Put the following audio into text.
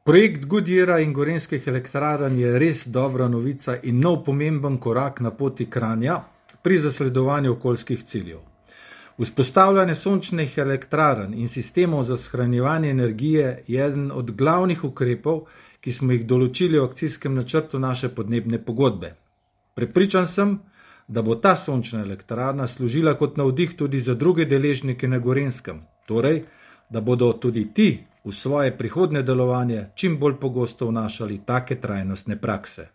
Projekt Goodyeara in Gorenjskih elektrarn je res dobra novica in nov pomemben korak na poti Kranja pri zasledovanju okoljskih ciljev. Vzpostavljanje sončnih elektrarn in sistemov za shranjevanje energije je eden od glavnih ukrepov, ki smo jih določili v akcijskem načrtu naše podnebne pogodbe. Prepričan sem, da bo ta sončna elektrarna služila kot navdih tudi za druge deležnike na Gorenjskem, torej, da bodo tudi ti v svoje prihodnje delovanje čim bolj pogosto vnašali take trajnostne prakse.